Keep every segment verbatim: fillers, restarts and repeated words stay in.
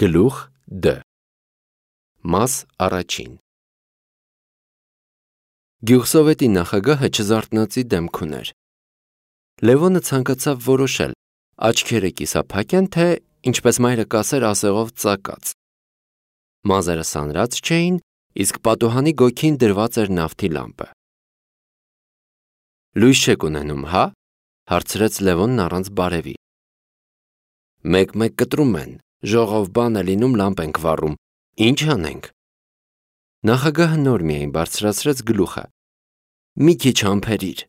Գլուխ Դ. Մաս առաջին. Գյուղսովետի նախագահը չզարթնոցի դեմք ուներ։ Լևոնը ցանկացավ որոշել, աչքերը կիսափակ են, թե ինչպես մայրը կասեր ասեղով ծակած։ Մազերը սանրած չէին, իսկ պատուհանի գոգին դրված էր նավթի լամպը։ Լույս չեք ունենում, հա՞, հարցրեց Լևոնն առանց բարևի։ Մեկ-մեկ կտրում են, ժողով բան է լինում, լամպ ենք վառում, ինչ անենք։ Նախագահը նոր միայն բարձրացրեց գլուխը։ Մի քիչ համբերիր։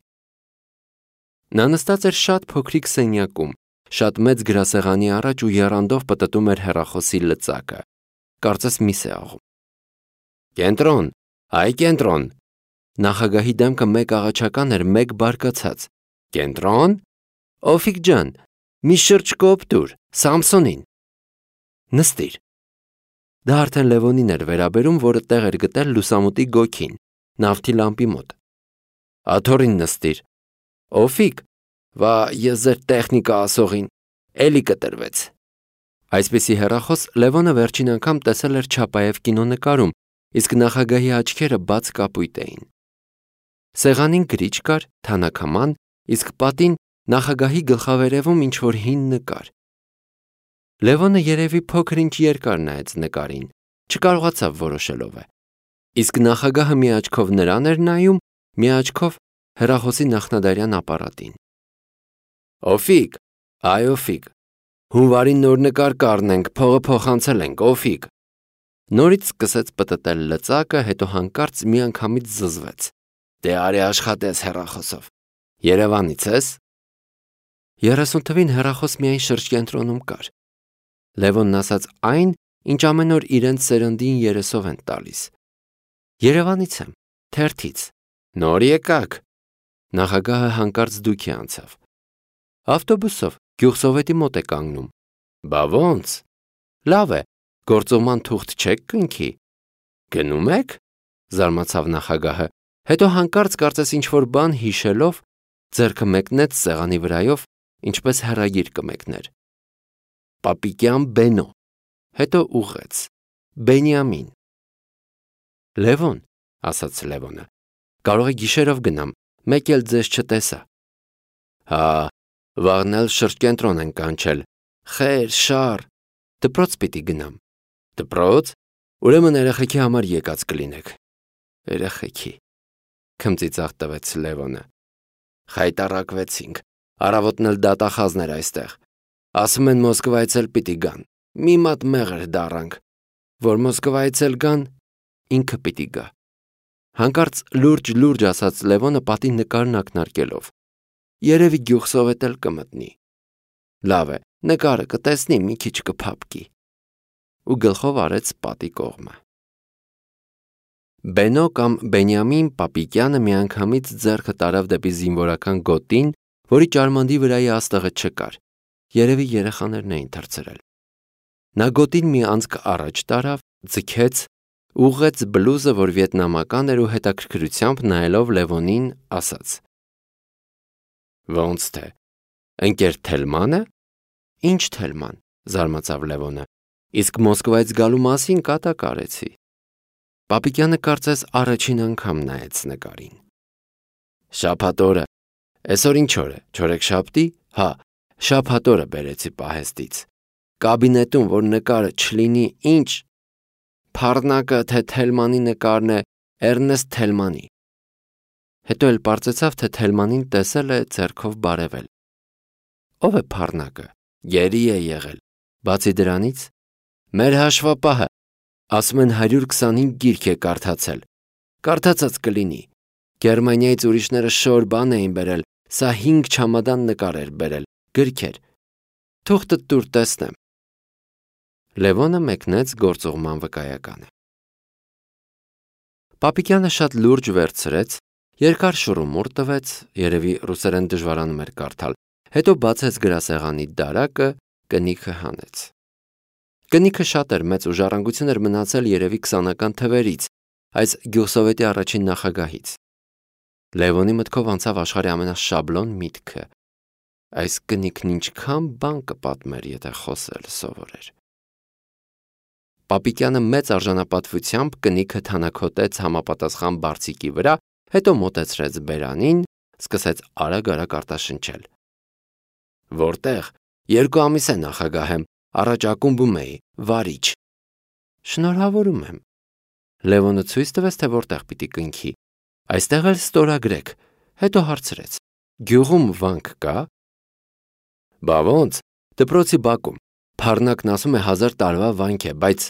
Նա նստած էր շատ փոքրիկ սենյակում, շատ մեծ գրասեղանի առաջ ու եռանդով պտտում էր հեռախոսի լծակը, կարծես միս է աղում։ Կենտրոն, այ կենտրոն։ Նախագահի դեմքը մեկ աղաչական էր, մեկ բարկացած։ Կենտրոն, Օֆիկ ջան, մի շրջ կոպ տուր, Սամսոնին։ Նստիր։ Դա արդեն Լևոնին էր վերաբերում, որը տեղ էր գտել լուսամուտի գոգին, նավթի լամպի մոտ։ Աթոռին նստիր։ Օֆիկ, վա ես ձեր տեխնիկա ասողին, էլի կտրվեց։ Այսպիսի հեռախոս Լևոնը վերջին անգամ տեսել էր Չապաև կինոնկարում, իսկ նախագահի աչքերը բաց կապույտ էին։ Սեղանին գրիչ կար, թանաքաման, իսկ պատին նախագահի գլխավերևում ինչ-որ հին նկար։ Լևոնը երևի փոքր-ինչ երկար նայեց նկարին, չկարողացավ որոշելով է։ Իսկ նախագահը մի աչքով նրան էր նայում, մի աչքով հեռախոսի նախնադարյան ապարատին։ Օֆիկ, այ Օֆիկ, հունվարի նոր նկար կառնենք, փողը փոխանցել ենք, Օֆիկ։ Նորից սկսեց պտտել լծակը, հետո հանկարծ միանգամից զզվեց։ Դե արի աշխատես հեռախոսով։ Երևանից ես։ Երեսուն թվին հեռախոս միայն շրջկենտրոնում կար։ Լևոնն ասաց այն, ինչ ամեն օր իրենց սերնդին երեսով են տալիս։ Երևանից եմ, թերթից։ Նոր եկաք։ Նախագահը հանկարծ դուքի անցավ։ Ավտոբուսով, գյուղսովետի մոտ է կանգնում։ Բա ոնց։ Լավ է, գործողման թուղթ չեք կնքի։ Գնում եք։ Զարմացավ նախագահը, հետո հանկարծ կարծես ինչ-որ բան հիշելով, ձեռքը մեկնեց սեղանի վրայով, ինչպես հեռագիր կմեկներ։ Պապիկյան Բենո, հետո ուղղեց, Բենյամին։ Լևոն, ասաց Լևոնը, կարող է գիշերով գնամ, մեկ էլ ձեզ չտեսա։ Հա, վաղն էլ շրջկենտրոն են կանչել, խեր, շար, դպրոց պիտի գնամ։ Դպրոց, ուրեմն երեխեքի համար եկած կլինեք։ Երեխեքի, քմծիծաղ տվեց Լևոնը։ Խայտառակվեցինք, առավոտն էլ դատախազներ այստեղ։ Ասում են Մոսկվայից էլ պիտի գան, մի մատ մեղր դառանք, որ Մոսկվայից էլ գան, ինքը պիտի գա։ Հանկարծ լուրջ-լուրջ ասաց Լևոնը պատի նկարն ակնարկելով։ Երևի գյուղսովետ էլ կմտնի։ Լավ է, նկարը կտեսնի, մի քիչ կփափկի։ Ու գլխով արեց պատի կողմը։ Բենո կամ Բենյամին Պապիկյանը միանգամից ձեռքը տարավ դեպի զինվորական գոտին, որի ճարմանդի վրայի աստղը չկար։ Երևի երեխաներն էին թռցրել։ Նա գոտին մի անցք առաջ տարավ, ձգեց, ուղղեց բլուզը, որ վիետնամական էր ու հետաքրքրությամբ նայելով Լևոնին ասաց. Ոնց թե, ընկեր Թելմանը։ Ինչ Թելման, զարմացավ Լևոնը, իսկ Մոսկվայից գալու մասին կատակ արեցի։ Պապիկյանը կարծես առաջին անգամ նայեց նկարին։ Շաբաթ օրը, այսօր ինչ օր է, չորեքշաբթի, հա, շաբաթ օրը բերեցի պահեստից։ Կաբինետում, որ նկարը չլինի ինչ, Փառնակը թե Թելմանի նկարն է, Էրնեստ Թելմանի։ Հետո էլ պարզեցավ, թե Թելմանին տեսել է ձեռքով բարևել։ Ո՞վ է Փառնակը, գերի է եղել։ Բացի դրանից, մեր հաշվապահը, ասում են հարյուր քսանհինգ գիրք է կարդացել։ Կարդացած կլինի։ Գերմանիայից ուրիշները շոր բան էին բերել, սա հինգ չամադան նկար էր բերել, գրքեր։ Թուղթը տուր տեսնեմ։ Լևոնը մեկնեց գործողման վկայականը։ Պապիկյանը շատ լուրջ վերցրեց, երկար շուռումուռ տվեց, երևի ռուսերեն դժվարանում էր կարդալ, հետո բացեց գրասեղանի դարակը, կնիքը հանեց։ Կնիքը շատ էր մեծ ու ժառանգություն էր մնացել երևի քսանական թվերից, այս գյուղսովետի առաջին նախագահից։ Լևոնի մտքով անցավ աշխարհի ամենաշաբլոն միտքը։ Այս կնիքն ինչքան բան կպատմեր, եթե խոսել սովորեր։ Պապիկյանը մեծ արժանապատվությամբ կնիքը թանաքոտեց համապատասխան բարձիկի վրա, հետո մոտեցրեց բերանին, սկսեց արագ-արագ արտաշնչել. Որտեղ, երկու ամիս է նախագահ եմ, առաջ ակումբում էի, վարիչ։ Շնորհավորում եմ։ Լևոնը ցույց տվեց, թե որտեղ պիտի կնքի։ Այստեղ էլ ստորագրեք, հետո հարցրեց. Գյուղում վանք կա։ Բա ոնց, դպրոցի բակում, Փառնակն ասում է հազար տարվա վանք է, բայց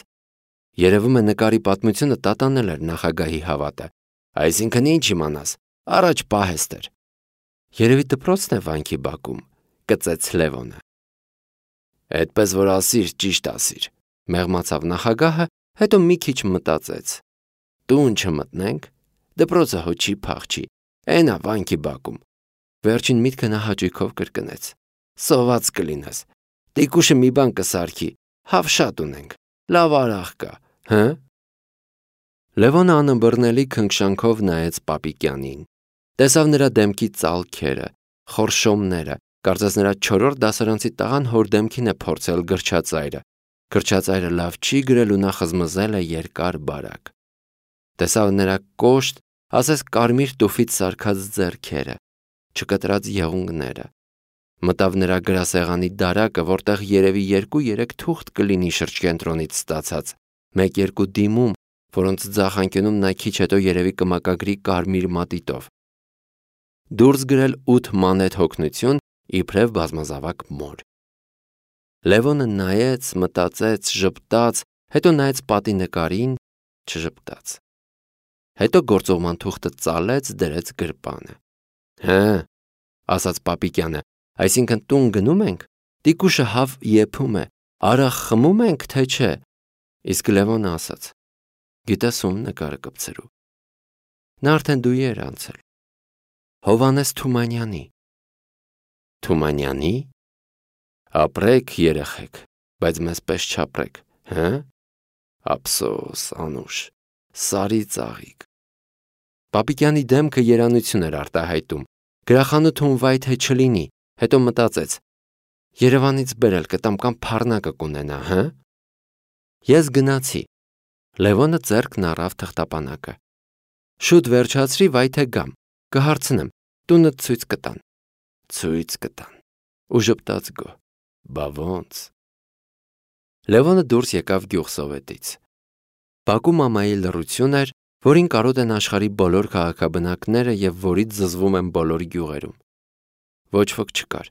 երևում է նկարի պատմությունը տատանել էր նախագահի հավատը, այսինքն ինչ իմանաս, առաջ պահեստ էր։ Երևի դպրոցն է վանքի բակում, կծեց Լևոնը։ Այդպես որ ասիր, ճիշտ ասիր, մեղմացավ նախագահը, հետո մի քիչ մտածեց։ Տուն չմտնենք, դպրոցը հո չի փախչի, այնա վանքի բակում։ Վերջին միտքը նա հաճույքով կրկնեց։ Սոված կլինես, տիկուշը մի բան կսարքի, հավ շատ ունենք, լավ արաղ կա, հը։ Լևոնը անըմբռնելի քնքշանքով նայեց Պապիկյանին, տեսավ նրա դեմքի ծալքերը, խորշոմները, կարծես նրա չորրորդ դասարանցի տղան հոր դեմքին է փորձել գրչածայրը, գրչածայրը լավ չի գրել ու նա խզմզել է երկար բարակ։ Տեսավ նրա կոշտ, ասես կարմիր տուֆից սարքած ձեռքերը, չկտրած եղունգները, մտավ նրա գրասեղանի դարակը, որտեղ երևի երկու-երեք թուղթ կլինի շրջկենտրոնից ստացած, մեկ-երկու դիմում, որոնց ձախ անկյունում նա քիչ հետո երևի կմակագրի կարմիր մատիտով։ Դուրս գրել ութ մանեթ հոգնություն, իբրև բազմազավակ մոր։ Լևոնը նայեց, մտածեց, ժպտաց, հետո նայեց պատի նկարին, չժպտաց։ Հետո գործողման թուղթը ծալեց, դրեց գրպանը։ Հը, ասաց Պապիկյանը, այսինքն տուն գնում ենք, տիկուշը հավ եփում է, արաղ խմում ենք, թե չէ։ Իսկ Լևոնը ասաց. Գիտես ում նկարը կպցրու։ Նա արդեն դույի էր անցել։ Հովհաննես Թումանյանի։ Թումանյանի։ Ապրեք երեխեք, բայց մեզ պես չապրեք, հը։ Ափսոս, անուշ, սարի ծաղիկ։ Պապիկյանի դեմքը երանություն էր արտահայտում, գրախանութում վայ թե չլինի, հետո մտածեց. Երևանից բերել կտամ կամ փառնակը կունենա, հը։ Ես գնացի։ Լևոնը ձեռքն առավ թղթապանակը։ Շուտ վերջացրի, վայ թե գամ, կհարցնեմ, տունը ցույց կտան։ Ցույց կտան։ Ու ժպտաց գո։ Բա ոնց։ Լևոնը դուրս եկավ գյուղսովետից։ Բակում ամայի լռություն էր, որին կարոտ են աշխարհի բոլոր քաղաքաբնակները եւ որից զզվում են բոլոր գյուղերում։ Ոչ ոք չկար։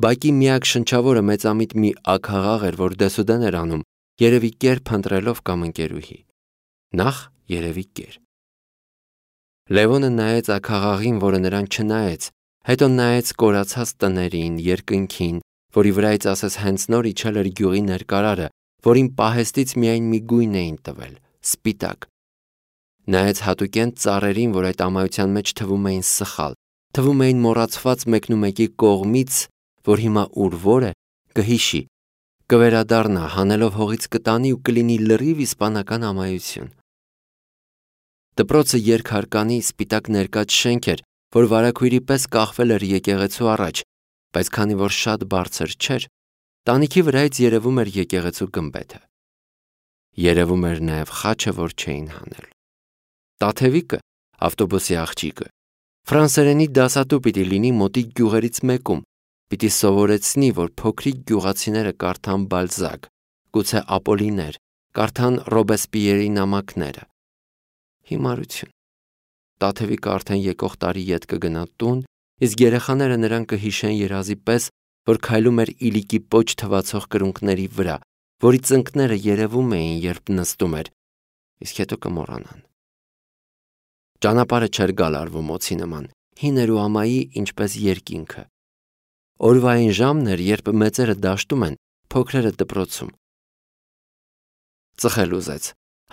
Բակի միակ շնչավորը մեծամիտ մի աքաղաղ էր, որ դեսուդեն էր անում, երևի կեր փնտրելով կամ ընկերուհի։ Նախ երևի կեր։ Լևոնը նայեց աքաղաղին, որը նրան չնայեց, հետո նայեց կորացած տներին, երկնքին, որի վրայից ասես հենց նոր իջել էր գյուղի ներկարարը, որին պահեստից միայն մի գույն էին տվել՝ սպիտակ։ Նայեց հատուկեն ծառերին, որ այդ ամայության մեջ թվում էին սխալ, թվում էին մոռացված մեկնումեկի կողմից, որ հիմա ուր որ է, կհիշի, կվերադառնա, հանելով հողից կտանի ու կլինի լրիվ իսպանական ամայություն։ Դպրոցը երկհարկանի սպիտակ ներկած շենք էր, որ վարագույրի պես կախվել էր եկեղեցու առաջ, բայց քանի որ շատ բարձր չէր, տանիքի վրայից երևում էր եկեղեցու գմբեթը։ Երևում էր նաև խաչը, որ չէին հանել։ Տաթևիկը, ավտոբուսի աղջիկը, ֆրանսերենի դասատու պիտի լինի մոտիկ գյուղերից մեկում, պիտի սովորեցնի, որ փոքրիկ գյուղացիները կարդան Բալզակ, գուցե Ապոլիներ, կարդան Ռոբեսպիերի նամակները։ Հիմարություն։ Տաթևիկը արդեն եկող տարի ետ կգնա տուն, իսկ երեխաները նրան կհիշեն երազի պես, որ քայլում էր իլիկի պոչ թվացող կրունկների վրա, որի ծնկները երևում էին, երբ նստում էր, իսկ հետո կմոռանան։ Ճանապարհը չէր գալարվում օձի նման, հին էր ու ամայի, ինչպես երկինքը։ Օրվա այն ժամն էր, երբ մեծերը դաշտում են, փոքրերը դպրոցում։ Ծխել ուզեց։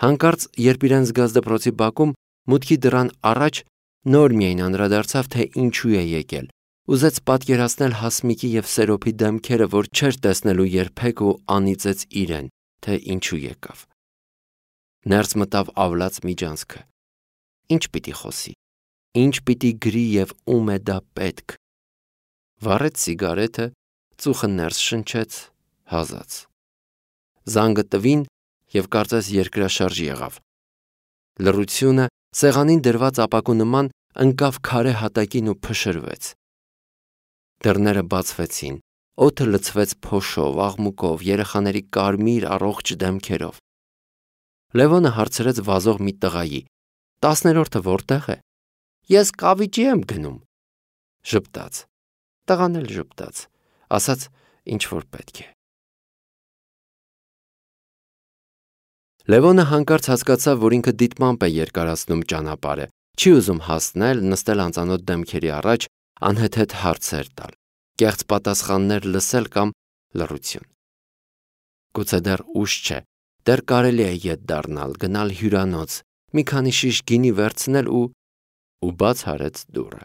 Հանկարծ, երբ իրեն զգաց դպրոցի բակում, մուտքի դռան առաջ նոր միայն անդրադարձավ, թե ինչու է եկել։ Ուզեց պատկերացնել Հասմիկի և Սերոփի դեմքերը, որ չէր տեսնելու երբեք ու անիծեց իրեն, թե ինչու եկավ։ Ներս մտավ ավլաց միջանցքը։ Ինչ պիտի խոսի, ինչ պիտի գրի և ում է դա պետք։ Վառեց սիգարետը, ծուխը ներս շնչեց, հազաց։ Զանգը տվին, և կարծես երկրաշարժ եղավ։ Լռությունը սեղանին դրված ապակու նման ընկավ քարե հատակին ու փշրվեց։ Դռները բացվեցին, օդը լցվեց փոշով, աղմուկով, երեխաների կարմիր առողջ դեմքերով։ Լևոնը հարցրեց վազող մի տղայի. «Տասներորդը որտեղ է»։ «Ես կավիճի եմ գնում»։ Ժպտաց։ Տղան էլ ժպտաց, ասաց ինչ որ պետք է։ Լևոնը հանկարծ հասկացավ, որ ինքը դիտմամբ է երկարացնում ճանապարհը, չի ուզում հասնել, նստել անծանոթ դեմքերի առաջ, անհեթեթ հարցեր տալ, կեղծ պատասխաններ լսել կամ լռություն։ Գուցե դեռ ուշ չէ, դեռ կարելի է ետ դառնալ, գնալ հյուրանոց, մի քանի շիշ գինի վերցնել ու ու բաց արեց դուռը։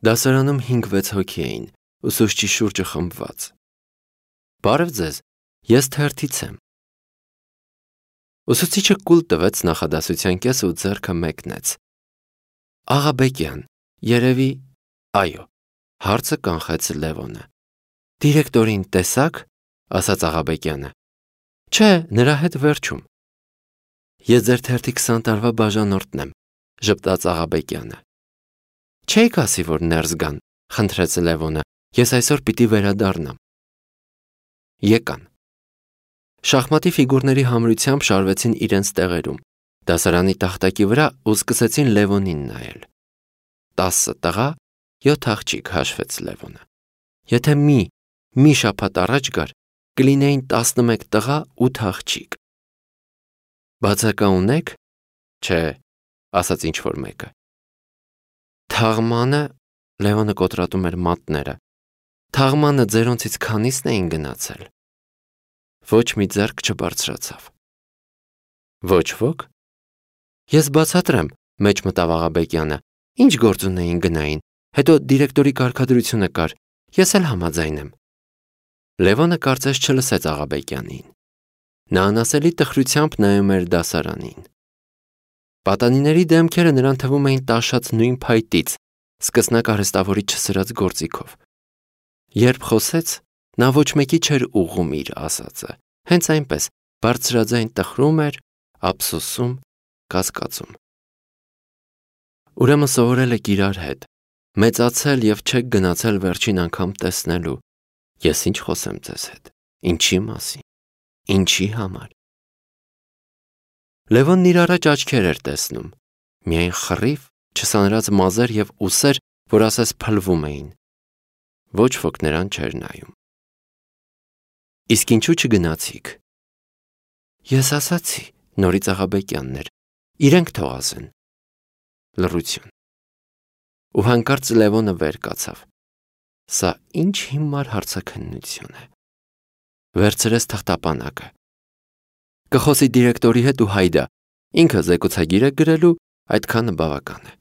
Դասարանում հինգ-վեց հոգի էին, ուսուցչի շուրջը խմբված։ «Բարև ձեզ, ես թերթից եմ»։ Ուսուցիչը կուլ տվեց նախադասության կեսը ու ձեռքը մեկնեց։ «Աղաբեկյան, երևի…» «Այո», հարցը կանխեց Լևոնը։ «Դիրեկտորին տեսա՞ք», ասաց Աղաբեկյանը։ «Չէ, նրա հետ վերջում»։ «Ես ձեր թերթի քսան տարվա բաժանորդն եմ», ժպտաց Աղաբեկյանը։ «Չէիք ասի, որ ներս գան», խնդրեց Լևոնը, «ես այսօր պիտի վերադառնամ»։ Եկան։ Շախմատի ֆիգուրների համրությամբ շարվեցին իրենց տեղերում, դասարանի տախտակի վրա ու սկսեցին Լևոնին նայել։ Տասը տղա, յոթ աղջիկ, հաշվեց Լևոնը։ Եթե մի, մի շաբաթ առաջ գար, կլինեին տասնմեկ տղա, ութ աղջիկ։ Բացակա ունե՞ք։ Չէ, ասաց ինչ-որ մեկը։ Թաղմանը, Լևոնը կոտրատում էր մատները, թաղմանը ձերոնցից քանիսն էին գնացել։ Ոչ մի ձեռք չբարձրացավ։ Ոչ ոք։ Ես բացատրեմ, մեջ մտավ Աղաբեկյանը, ինչ գործ ունեին գնային, հետո դիրեկտորի կարգադրությունը կար, ես էլ համաձայն եմ։ Լևոնը կարծես չլսեց Աղաբեկյանին։ Նա անասելի տխրությամբ նայում էր դասարանին։ Պատանիների դեմքերը նրան թվում էին տաշած նույն փայտից, սկսնակ արհեստավորի չսրած գործիքով։ Երբ խոսեց, նա ոչ մեկի չէր ուղղում իր ասածը, հենց այնպես բարձրաձայն տխրում էր, ափսոսում, կասկածում։ Ուրեմն սովորել եք իրար հետ, մեծացել և չեք գնացել վերջին անգամ տեսնելու։ Ես ինչ խոսեմ ձեզ հետ, ինչի մասին, ինչի համար։ Լևոնն իր առաջ աչքեր էր տեսնում, միայն խռիվ, չսանրած մազեր և ուսեր, որ ասես փլվում էին։ Ոչ ոք նրան չէր նայում։ Իսկ ինչու չգնացիք։ Ես ասացի, նորից Աղաբեկյանն էր, իրենք թող ասեն։ Լռություն։ Ու հանկարծ Լևոնը վեր կացավ։ Սա ինչ հիմար հարցաքննություն է։ Վերցրեց թղթապանակը։ Կխոսի դիրեկտորի հետ ու հայդա, ինքը զեկուցագիր է գրելու, այդքանը բավական է։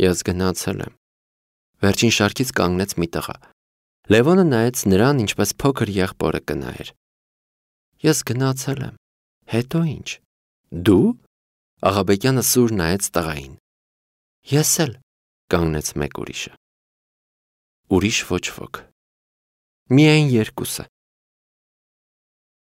Ես գնացել եմ։ Վերջին շարքից կանգնեց մի տղա։ Լևոնը նայեց նրան, ինչպես փոքր եղբորը կնայեր։ Ես գնացել եմ։ Հետո ինչ։ Դու։ Աղաբեկյանը սուր նայեց տղային։ Ես էլ, կանգնեց մեկ ուրիշը։ Ուրիշ ոչ ոք։ Միայն երկուսը։